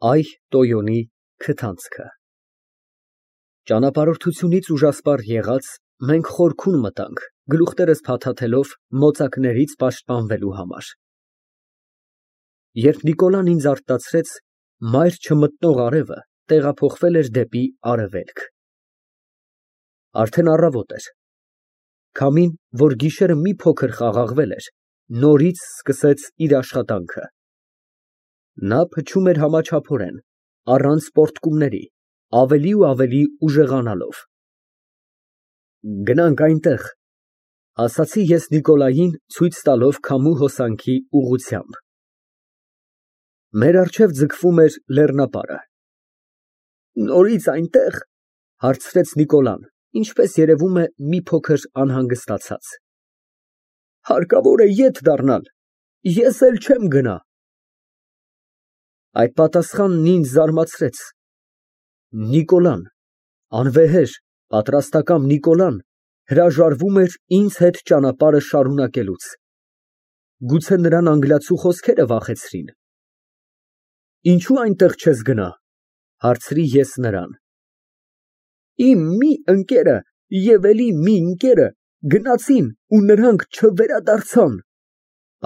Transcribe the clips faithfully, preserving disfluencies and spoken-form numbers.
Այ Տոյոնի քթանցքը Ճանապարհորդությունից ուժասպառ եղած, մենք խորքում մտանք, գլուխներս փաթաթելով մոծակներից պաշտպանվելու համար։ Երբ Նիկոլան ինձ արտացրեց, մայր չմտնող արևը տեղափոխվել էր դեպի արևելք։ Արդեն առավոտ էր։ Քամին, որ գիշերը մի փոքր խաղաղվել էր, նորից սկսեց իր աշխատանքը։ Նա փչում էր համաչափորեն, առանց պոռթկումների, ավելի ու ավելի ուժեղանալով։ Գնանք այնտեղ, ասացի ես Նիկոլային, ցույց տալով քամու հոսանքի ուղղությամբ։ Մեր առջև ձգվում էր լեռնապարը։ Նորից այնտեղ, հարցրեց Նիկոլան, ինչպես երևում է, մի փոքր անհանգստացած։ Հարկավոր է ետ դառնալ, ես էլ չեմ գնա։ Այդ պատասխանն ինձ զարմացրեց։ Նիկոլան, անվեհեր, պատրաստակամ Նիկոլան հրաժարվում էր ինձ հետ ճանապարհը շարունակելուց։ Գուցե նրան անգլիացու խոսքերը վախեցրին։ Ինչու այնտեղ չես գնա, հարցրի ես նրան։ Իմ մի ընկերը և էլի մի ընկերը գնացին ու նրանք չվերադարձան,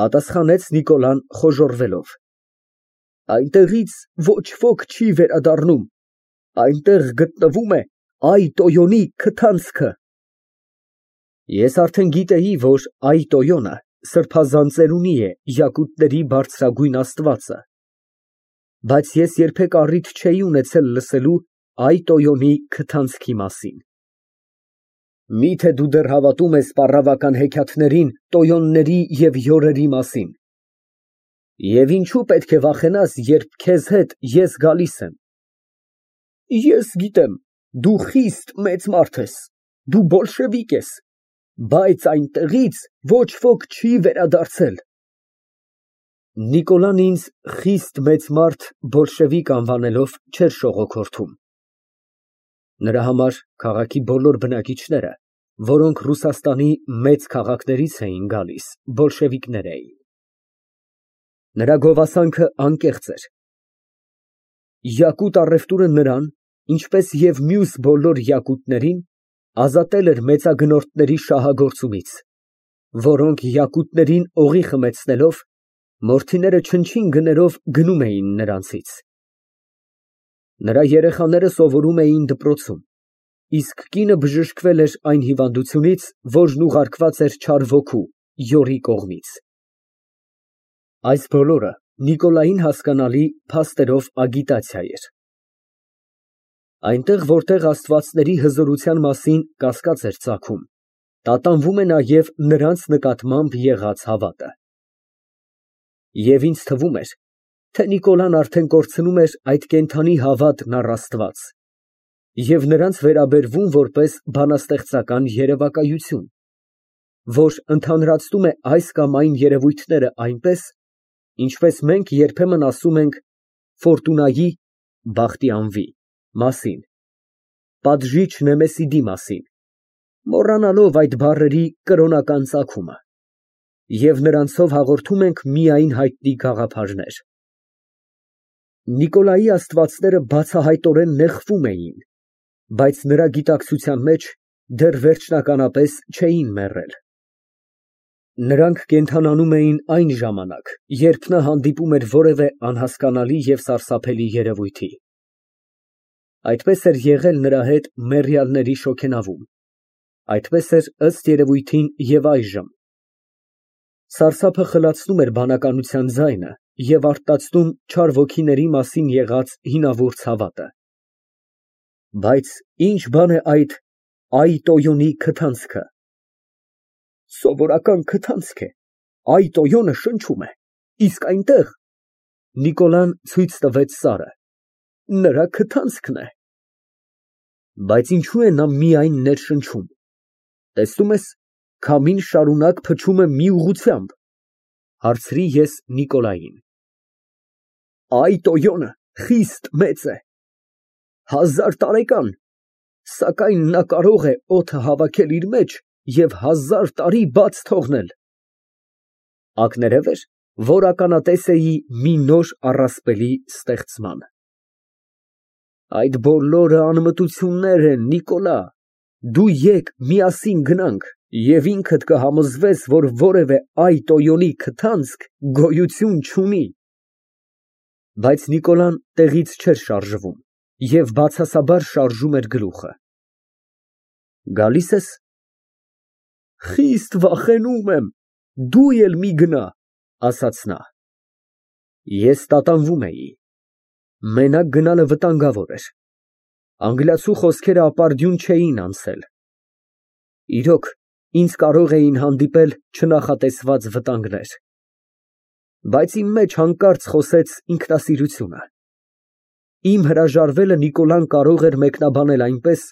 պատասխանեց Նիկոլան խոժոռվելով։ Այնտեղից ոչ ոք չի վերադառնում, այնտեղ գտնվում է Այ Տոյոնի քթանցքը։ Ես արդեն գիտեի, որ Այ Տոյոնը սրբազան ծերունի է յակուտների բարձրագույն աստվածը, բայց ես երբեք առիթ չէի ունեցել լսելու Այ Տոյոնի քթանցքի մասին։ Միթե դու դեռ հավատում ես պառավական հեքիաթներին տոյոնների և յորերի մասին։ Եվ ինչու պետք է վախենաս, երբ քեզ հետ ես գալիս եմ։ Ես գիտեմ, դու խիստ մեծ մարդ ես, դու բոլշևիկ ես, բայց այնտեղից ոչ ոք չի վերադարձել։ Նիկոլան ինձ խիստ մեծ մարդ բոլշևիկ անվանելով չէր շողոքորթում։ Նրա համար քաղաքի բոլոր բնակիչները, որոնք Ռուսաստանի մեծ քաղաքներից էին գալիս, բոլշևիկներ էին։ Նրա գովասանքը անկեղծ էր։ Յակուտ առևտուրը նրան, ինչպես և մյուս բոլոր յակուտներին, ազատել էր մեծագնորդների շահագործումից, որոնք յակուտներին օղի խմեցնելով, մորթիները չնչին գներով գնում էին նրանցից։ Նրա երեխաները սովորում էին դպրոցում, իսկ կինը բժշկվել էր այն հիվանդությունից, որն ուղարկված էր չար ոգու, յորի կողմից։ Այս բոլորը Նիկոլային հասկանալի փաստերով ագիտացիա էր։ Այնտեղ, որտեղ աստվածների հզորության մասին կասկած էր ծագում, տատանվում է նաև նրանց նկատմամբ եղած հավատը։ Եվ ինձ թվում էր, թե Նիկոլան արդեն կորցնում էր այդ կենդանի հավատն առ Աստված և նրանց վերաբերվում որպես բանաստեղծական երևակայություն, որ ընդհանրացնում է այս կամ այն երևույթները այնպես, ինչպես մենք երբեմն ասում ենք Ֆորտունայի (բախտի անվի) մասին, պատժիչ Նեմեսիդի մասին, մոռանալով այդ բառերի կրոնական ծագումը, և նրանցով հաղորդում ենք միայն հայտնի գաղափարներ։ Նիկոլայի աստվածները բացահայտորեն նեղվում էին, բայց նրա գիտակցության մեջ դեռ վերջնականապես չէին մեռել։ Նրանք կենդանանում էին այն ժամանակ, երբ նա հանդիպում էր որևէ անհասկանալի և սարսափելի երևույթի։ Այդպես էր եղել նրա հետ մեռյալների շոգենավում, այդպես էր ըստ երևույթին և այժմ։ Սարսափը խլացնում էր բանականության ձայնը և արթնացնում չար ոգիների մասին եղած հինավուրց հավատը։ Բայց ի՞նչ բան է այդ Այ Տոյոնի քթանցքը։ Սովորական քթանցք է, Այ Տոյոնը շնչում է, իսկ այնտեղ Նիկոլան ցույց տվեց սարը, նրա քթանցքն է։ Բայց ինչո՞ւ է նա միայն ներշնչում, տեսնում ես, քամին շարունակ փչում է մի ուղղությամբ, հարցրի ես Նիկոլային։ Այ Տոյոնը խիստ մեծ է, հազար տարեկան, սակայն նա կարող է օդը հավաքել իր մեջ և հազար տարի բաց թողնել։ Ակներև էր, որ ականատես էի մի նոր առասպելի ստեղծման։ Այդ բոլորը անմտություններ են, Նիկոլա, դու եկ միասին գնանք, և ինքդ կհամոզվես, որ որևէ այ Տոյոնի քթանցք գոյություն չունի։ Բայց Նիկոլան տեղից չէր շարժվում և բացասաբար շարժում էր գլուխը։ Գալի՞ս ես։ Խիստ վախենում եմ, դու էլ մի գնա, ասաց նա։ Ես տատանվում էի։ Մենակ գնալը վտանգավոր էր։ Անգլիացու խոսքերը ապարդյուն չէին անցել։ Իրոք, ինձ կարող էին հանդիպել չնախատեսված վտանգներ։ Բայց իմ մեջ հանկարծ խոսեց ինքնասիրությունը։ Իմ հրաժարվելը Նիկոլան կարող էր մեկնաբանել այնպես,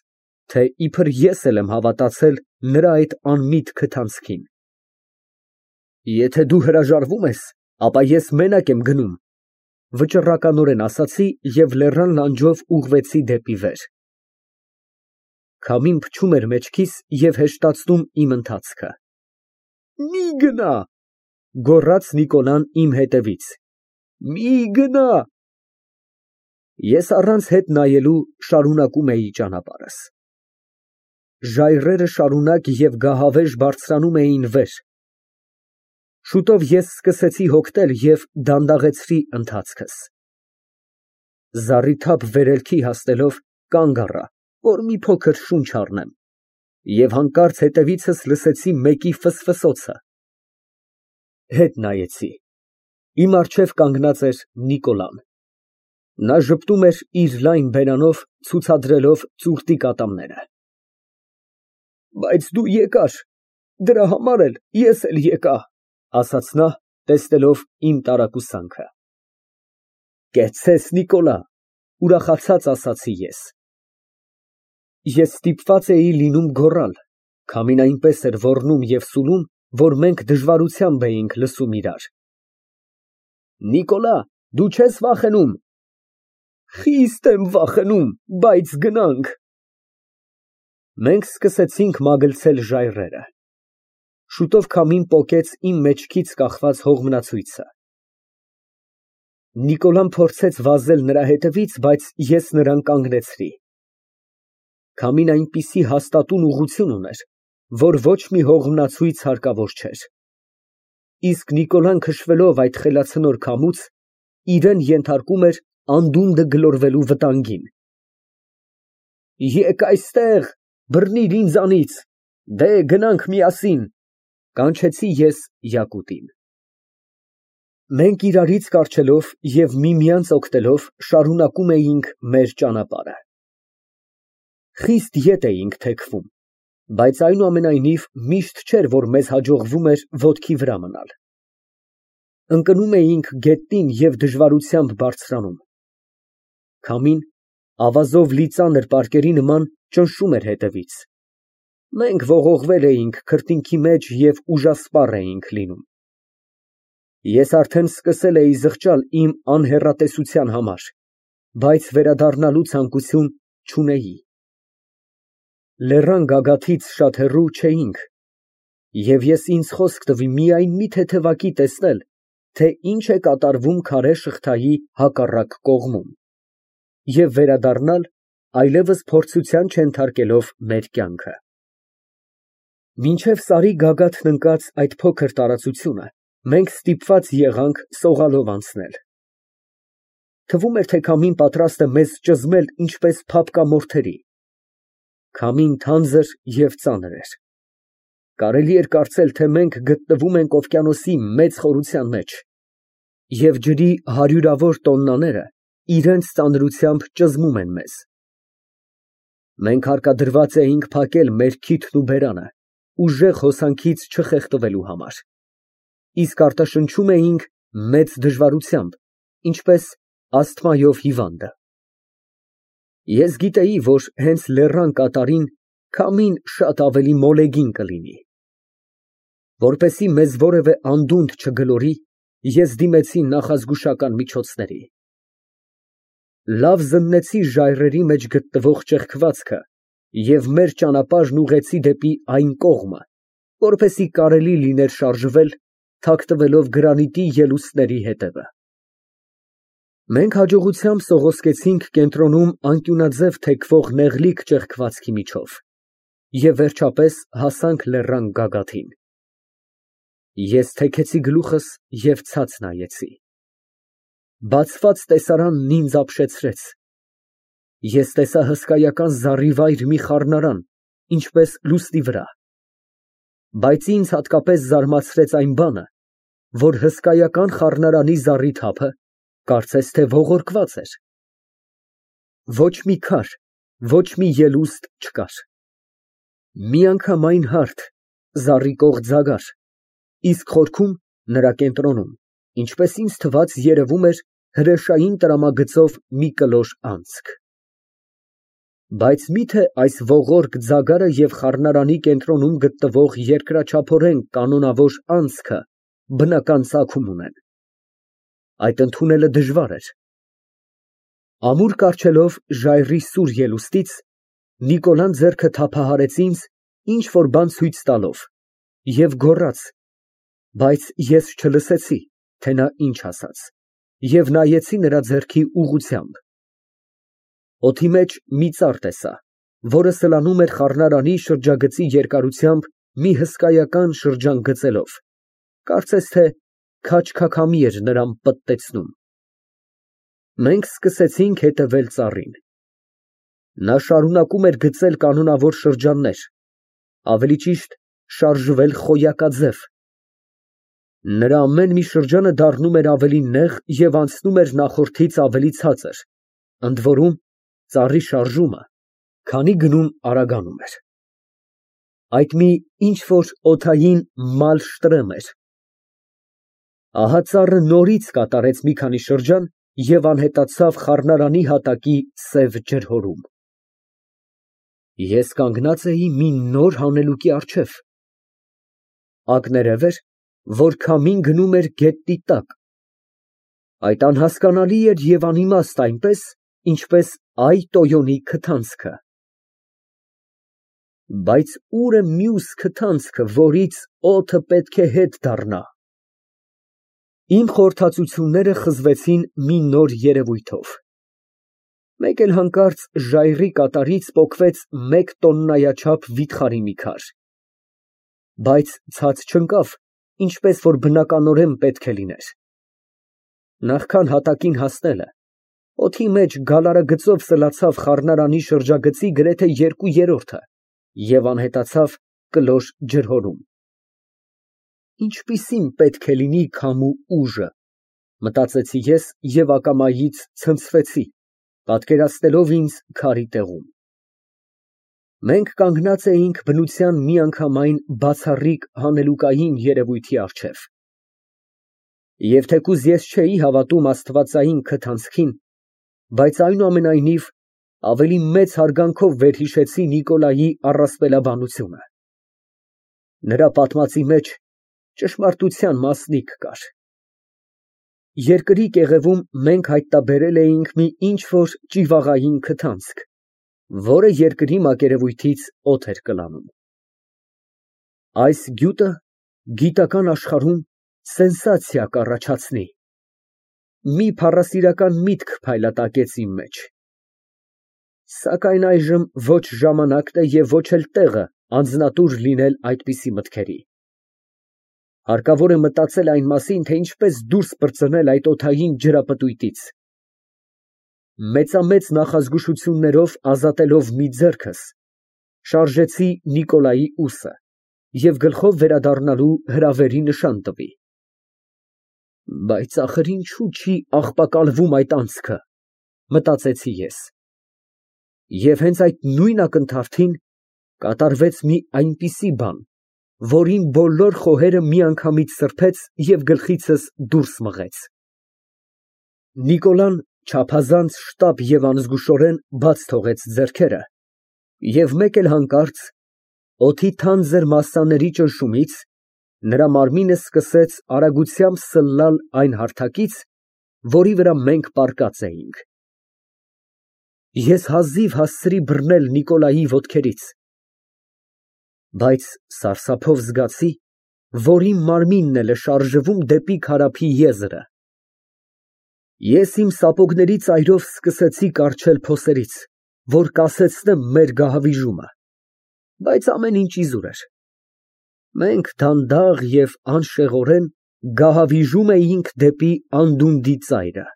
թե իբր ես էլ եմ հավատացել նրա այդ անմիտ քթանցքին։ Եթե դու հրաժարվում ես, ապա ես մենակ եմ գնում, վճռականորեն ասացի և լեռան լանջով ուղղվեցի դեպի վեր։ Քամին փչում էր մեջքիս և հեշտացնում իմ ընթացքը։ Մի գնա, գոռաց Նիկոլան իմ հետևից, մի գնա։ Ես առանց հետ նայելու շարունակում էի ճանապարհս։ Ժայռերը շարունակ և գահավեժ բարձրանում էին վեր։ Շուտով ես սկսեցի հոգնել և դանդաղեցրի ընթացքս։ Զառիթափ վերելքի հասնելով կանգ առա, որ մի փոքր շունչ առնեմ, և հանկարծ հետևիցս լսեցի մեկի ֆսֆսոցը։ Հետ նայեցի։ Իմ առջև կանգնած էր Նիկոլան։ Նա ժպտում էր իր լայն բերանով, ցուցադրելով ծուռտի կատամները։ Բայց դու եկար, դրա համար էլ ես էլ եկա, ասաց նա, տեսնելով իմ տարակուսանքը։ Կեցցես, Նիկոլա, ուրախացած ասացի ես։ Ես ստիպված էի լինում գոռալ, քամին այնպես էր ոռնում և սուլում, որ մենք դժվարությամբ էինք լսում իրար։ Նիկոլա, դու չե՞ս վախենում։ Խիստ եմ վախենում, բայց գնանք։ Մենք սկսեցինք մագլցել ժայռերը։ Շուտով քամին պոկեց իմ մեջքից կախված հողմնացույցը։ Նիկոլան փորձեց վազել նրա հետևից, բայց ես նրան կանգնեցրի։ Քամին այնպիսի հաստատուն ուղղություն ուներ, որ ոչ մի հողմնացույց հարկավոր չէր։ Իսկ Նիկոլան քշվելով այդ խելացնոր քամուց, իրեն ենթարկում էր անդունդը գլորվելու վտանգին։ Եկ այստեղ, բռնիր ինձանից, դե գնանք միասին, կանչեցի ես Յակուտին։ Մենք իրարից կառչելով և միմյանց օգնելով շարունակում էինք մեր ճանապարհը։ Խիստ ետ էինք թեքվում, բայց այնուամենայնիվ միշտ չէր, որ մեզ հաջողվում էր ոտքի վրա մնալ։ Ընկնում էինք գետնին և դժվարությամբ բարձրանում։ Քամին, ավազով լի ծանր պարկերի նման, ճնշում էր հետևից։ Մենք ողողվել էինք քրտինքի մեջ և ուժասպառ էինք լինում։ Ես արդեն սկսել էի զղջալ իմ անհեռատեսության համար, բայց վերադառնալու ցանկություն չունեի։ Լեռան գագաթից շատ հեռու չէինք, և ես ինձ խոսք տվի միայն մի թեթևակի տեսնել, թե ինչ է կատարվում քարե շղթայի հակառակ կողմում, և վերադառնալ, այլևս փորձության չենթարկելով մեր կյանքը։ Մինչև սարի գագաթն ընկած այդ փոքր տարածությունը մենք ստիպված եղանք սողալով անցնել։ Թվում էր, թե քամին պատրաստ է մեզ ճզմել ինչպես փափկա մորթերի։ Քամին թանձր և ծանր էր։ Կարելի էր կարծել, թե մենք գտնվում ենք օվկիանոսի մեծ խորության մեջ, և ջրի հարյուրավոր տոննաները իրենց ծանրությամբ ճզմում են մեզ։ Մենք հարկադրված էինք փակել մեր քիթն ու բերանը, ուժեղ հոսանքից չխեղդվելու համար, իսկ արտաշնչում էինք մեծ դժվարությամբ, ինչպես ասթմայով հիվանդը։ Ես գիտեի, որ հենց լեռան կատարին քամին շատ ավելի մոլեգին կլինի։ Որպեսզի մեզ որևէ անդունդ չգլորի, ես դիմեցի նախազգուշական միջոցների։ Լավ զննեցի ժայռերի մեջ գտնվող ճեղքվածքը և մեր ճանապարհն ուղղեցի դեպի այն կողմը, որպեսզի կարելի լիներ շարժվել, թաքնվելով գրանիտի ելուստների հետևը։ Մենք հաջողությամբ սողոսկեցինք կենտրոնում անկյունաձև թեքվող նեղլիկ ճեղքվածքի միջով և վերջապես հասանք լեռան գագաթին։ Ես թեքեցի գլուխս և ցած նայեցի։ Բացված տեսարանն ինձ ապշեցրեց։ Ես տեսա հսկայական զառիվայր մի խառնարան, ինչպես լուսնի վրա, բայց ինձ հատկապես զարմացրեց այն բանը, որ հսկայական խառնարանի զառիթափը կարծես թե ողորկված էր։ Ոչ մի քար, ոչ մի ելուստ չկար։ Միանգամայն հարթ, զառիկող ձագար, իսկ խորքում, նրա կենտրոնում, ինչպես ինձ թվաց, երևում էր հրեշային տրամագծով մի կլոր անցք։ Բայց մի՞թե այս ողորկ ձագարը և խառնարանի կենտրոնում գտնվող երկրաչափորեն կանոնավոր անցքը բնական ծագում ունեն։ Այդ ընդունելը դժվար էր։ Ամուր կառչելով ժայռի սուր ելուստից, Նիկոլան ձեռքը թափահարեց ինձ, ինչ֊որ բան ցույց տալով, և գոռաց, բայց ես չլսեցի, թե նա ինչ ասաց, և նայեցի նրա ձեռքի ուղղությամբ։ Օդի մեջ մի ծառ տեսա, որը սլանում էր խառնարանի շրջագծի երկարությամբ մի հսկայական շրջան գծելով, կարծես թե քաջ֊քաքամի էր նրան պտտեցնում։ Մենք սկսեցինք հետևել ծառին։ Նա շարունակում էր գծել կանոնավոր շրջաններ, ավելի ճիշտ շարժվել խոյակաձև։ Նրա ամեն մի շրջանը դառնում էր ավելի նեղ և անցնում էր նախորդից ավելի ցածր, ընդ որում, ծառի շարժումը քանի գնում արագանում էր։ Այդ մի ինչ֊որ օդային մալշտրեմ էր։ Ահա ծառը նորից կատարեց մի քանի շրջան և անհետացավ խառնարանի հատակի սև ջրհորում։ Ես կանգնած էի մի նոր հանելուկի առջև։ Ակներև էր, որ քամին գնում էր գետնի տակ։ Այդ անհասկանալի էր և անիմաստ այնպես, ինչպես Այ Տոյոնի քթանցքը։ Բայց ո՞ւր է մյուս քթանցքը, որից օդը պետք է հետ դառնա։ Իմ խորհրդածությունները խզվեցին մի նոր երևույթով։ Մեկ էլ հանկարծ ժայռի կատարից պոկվեց մեկ տոննայաչափ վիթխարի մի քար, բայց ցած չընկավ, ինչպես որ բնականորեն պետք է լիներ։ Նախքան հատակին հասնելը, օդի մեջ գալարագծով սլացավ խառնարանի շրջագծի գրեթե երկու երրորդը և անհետացավ կլոր ջրհորում։ Ինչպիսին պետք է լինի քամու ուժը, մտածեցի ես և ակամայից ցնցվեցի, պատկերացնելով ինձ քարի տեղում։ Մենք կանգնած էինք բնության միանգամայն բացառիկ հանելուկային երևույթի առջև։ Եվ թեկուզ ես չէի հավատում աստվածային քթանցքին, բայց այնուամենայնիվ ավելի մեծ հարգանքով վերհիշեցի Նիկոլայի առասպելաբանությունը։ Նրա պատմածի մեջ ճշմարտության մասնիկ կար։ Երկրի կեղևում մենք հայտնաբերել էինք մի ինչ֊որ ճիվաղային քթանցք, որը երկրի մակերևույթից օդ էր կլանում։ Այս գյուտը գիտական աշխարհում սենսացիա կառաջացնի։ Մի փառասիրական միտք փայլատակեց իմ մեջ։ Սակայն այժմ ոչ ժամանակն է և ոչ էլ տեղը անձնատուր լինել այդպիսի մտքերի։ Հարկավոր է մտածել այն մասին, թե ինչպես դուրս պրծնել այդ օդային ջրապտույտից։ Մեծամեծ նախազգուշություններով ազատելով մի ձեռքս, շարժեցի Նիկոլայի ուսը և գլխով վերադառնալու հրավերի նշան տվի։ Բայց ախր ինչու չի աղբակալվում այդ անցքը, մտածեցի ես։ Եվ հենց այդ նույն ակնթարթին կատարվեց մի այնպիսի բան, որ իմ բոլոր խոհերը միանգամից սրբեց և գլխիցս դուրս մղեց։ Նիկոլան չափազանց շտապ և անզգուշորեն բաց թողեց ձեռքերը և մեկ էլ հանկարծ, օդի թանձր մասսաների ճնշումից, նրա մարմինը սկսեց արագությամբ սլալ այն հարթակից, որի վրա մենք պառկած էինք։ Ես հազիվ հասցրի բռնել Նիկոլայի ոտքերից, բայց սարսափով զգացի, որ իմ մարմինն էլ է շարժվում դեպի քարափի եզրը։ Ես իմ սապոգների ծայրով սկսեցի կառչել փոսերից, որ կասեցնեմ մեր գահավիժումը, բայց ամեն ինչ իզուր էր։ Մենք դանդաղ և անշեղորեն գահավիժում էինք դեպի անդունդի ծայրը։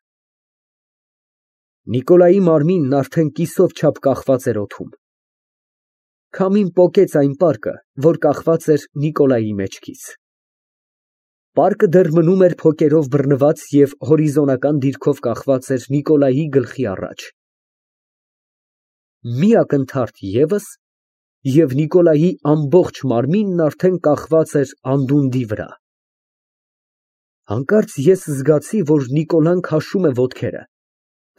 Նիկոլայի մարմինն արդեն կիսով չափ կախված էր օդում։ Քամին պոկեց այն պարկը, որ կախված էր Նիկոլայի մեջքից։ Պարկը դեռ մնում էր փոկերով բռնված և հորիզոնական դիրքով կախված էր Նիկոլայի գլխի առաջ։ Մի ակնթարթ ևս, և Նիկոլայի ամբողջ մարմինն արդեն կախված էր անդունդի վրա։ Հանկարծ ես զգացի, որ Նիկոլան քաշում է ոտքերը,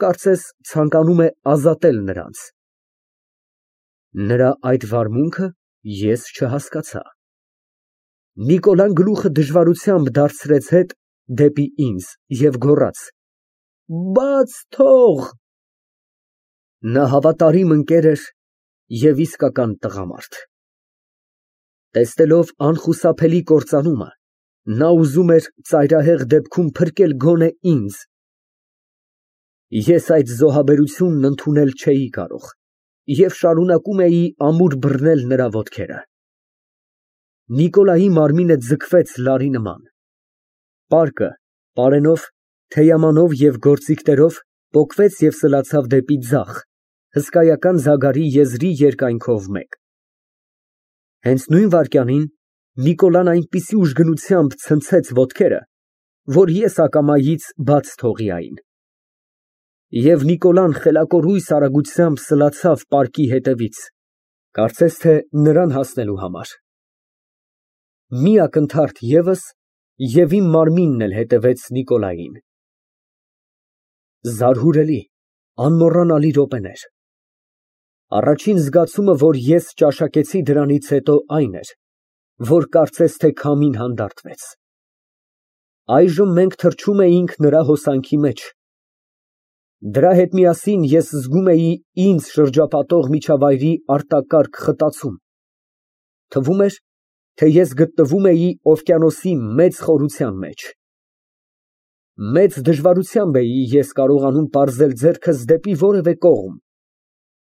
կարծես ցանկանում է ազատել նրանց։ Նրա այդ վարմունքը ես չհասկացա։ Նիկոլան գլուխը դժվարությամբ դարձրեց հետ դեպի ինձ և գոռաց. «Բաց թող»։ Նա հավատարիմ ընկեր էր և իսկական տղամարդ։ Տեսնելով անխուսափելի կործանումը, նա ուզում էր ծայրահեղ դեպքում փրկել գոնե ինձ։ Ես այդ զոհաբերությունն ընդունել չէի կարող և շարունակում էի ամուր բռնել նրա ոտքերը։ Նիկոլայի մարմինը ձգվեց լարի նման։ Պարկը պարենով, թեյամանով և գործիքներով պոկվեց և սլացավ դեպի ձախ, հսկայական զագարի եզրի երկայնքով մեկ։ Հենց նույն վայրկյանին Նիկոլան այնպիսի ուժգնությամբ ցնցեց ոտքերը, որ ես ակամայից բաց թողի այն։ Եվ Նիկոլան խելակորույս արագությամբ սլացավ պարկի հետևից, կարծես թե նրան հասնելու համար։ Մի ակնթարթ ևս, և իմ մարմինն էլ հետևեց Նիկոլային։ Զարհուրելի, անմոռանալի րոպեներ։ Առաջին զգացումը, որ ես ճաշակեցի դրանից հետո, այն էր, որ կարծես թե քամին հանդարտվեց։ Այժմ մենք թռչում էինք նրա հոսանքի մեջ։ Դրա հետ միասին ես զգում էի ինձ շրջապատող միջավայրի արտակարգ խտացում։ Թվում էր, թե ես գտնվում էի օվկիանոսի մեծ խորության մեջ։ Մեծ դժվարությամբ էի ես կարողանում պարզել ձեռքս դեպի որևէ կողմ,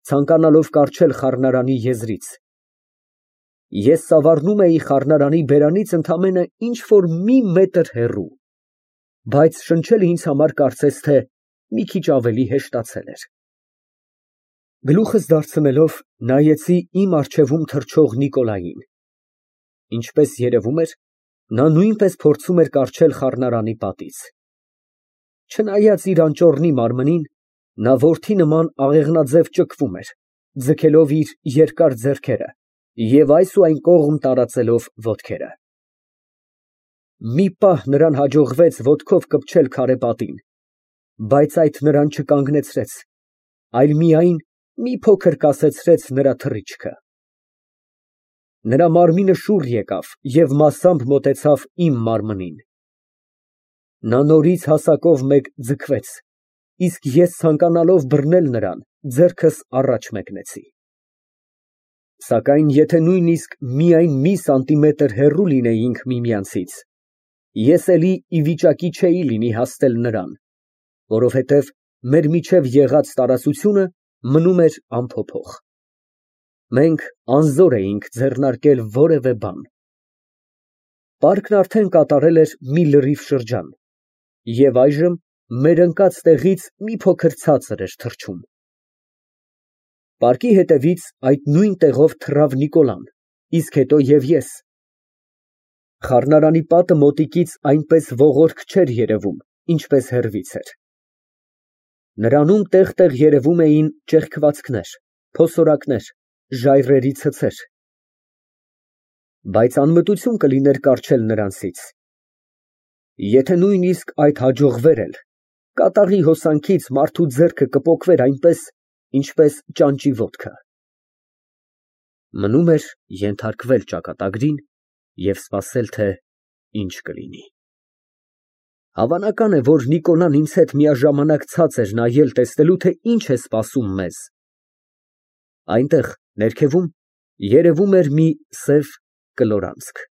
ցանկանալով կառչել խառնարանի եզրից։ Ես սավառնում էի խառնարանի բերանից ընդամենը ինչ֊որ մի մետր հեռու, բայց շնչելը ինձ համար կարծես թե մի քիչ ավելի հեշտացել էր։ Գլուխս դարձնելով նայեցի իմ առջևում թռչող Նիկոլային։ Ինչպես երևում էր, նա նույնպես փորձում էր կառչել խառնարանի պատից։ Չնայած իր անճոռնի մարմնին, նա որդի նման աղեղնաձև ճկվում էր, ձգելով իր երկար ձեռքերը և այս ու այն կողմ տարածելով ոտքերը։ Մի պահ նրան հաջողվեց ոտքով կպչել քարե պատին, բայց այդ նրան չկանգնեցրեց, այլ միայն մի փոքր կասեցրեց նրա թռիչքը։ Նրա մարմինը շուռ եկավ և մասամբ մոտեցավ իմ մարմնին։ Նա նորից հասակով մեկ ձգվեց, իսկ ես ցանկանալով բռնել նրան, ձեռքս առաջ մեկնեցի։ Սակայն եթե նույնիսկ միայն մի սանտիմետր հեռու լինեինք միմյանցից, ես էլի ի վիճակի չէի լինի հասնել նրան, որովհետև մեր միջև եղած տարածությունը մնում էր անփոփոխ։ Մենք անզոր էինք ձեռնարկել որևէ բան։ Պարկն արդեն կատարել էր մի լրիվ շրջան, և այժմ մեր ընկած տեղից մի փոքր ցածր էր թռչում։ Պարկի հետևից այդ նույն տեղով թռավ Նիկոլան, իսկ հետո և ես։ Խառնարանի պատը մոտիկից այնպես ողորկ չէր երևում, ինչպես հեռվից էր։ Նրանում տեղ֊տեղ երևում էին ճեղքվածքներ, փոսորակներ, ժայռերի ցցեր։ Բայց անմտություն կլիներ կառչել նրանցից։ Եթե նույնիսկ այդ հաջողվեր էլ, կատաղի հոսանքից մարդու ձեռքը կպոկվեր այնպես, ինչպես ճանճի ոտքը։ Մնում էր ենթարկվել ճակատագրին և սպասել, թե ինչ կլինի։ Հավանական է, որ Նիկոլան ինձ հետ միաժամանակ ցած էր նայել տեսնելու, թե ինչ է սպասում մեզ։ Այնտեղ, ներքևում, երևում էր մի սև կլորանցք,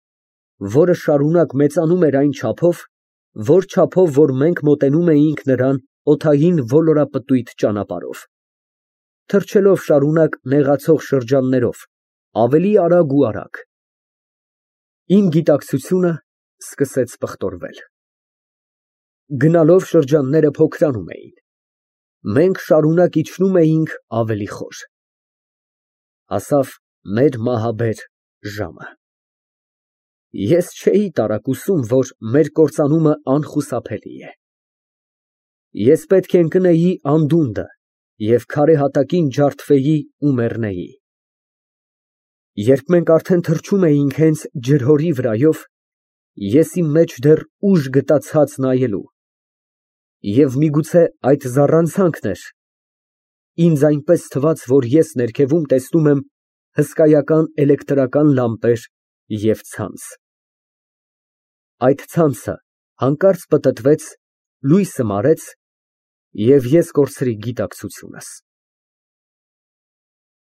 որը շարունակ մեծանում էր այն չափով, որ չափով, որ մենք մոտենում էինք նրան օդային ոլորապտույտ ճանապարհով, թռչելով շարունակ նեղացող շրջաններով, ավելի արագ ու արագ, իմ գիտակցությունը սկսեց պղտորվել։ Գնալով շրջանները փոքրանում էին, մենք շարունակ իջնում էինք ավելի խոր։ Հասավ մեր մահաբեր ժամը։ Ես չէի տարակուսում, որ մեր կործանումը անխուսափելի է։ Ես պետք է ընկնեի անդունդը և քարե հատակին ջարդվեի ու մեռնեի։ Երբ մենք արդեն թռչում էինք հենց ջրհորի վրայով, ես իմ մեջ դեռ ուժ գտա ցած նայելու, և միգուցե այդ զառանցանքն էր, ինձ այնպես թվաց, որ ես ներքևում տեսնում եմ հսկայական էլեկտրական լամպեր և ցանց։ Այդ ցանցը հանկարծ պտտվեց, լույսը մարեց, և ես կորցրի գիտակցությունս։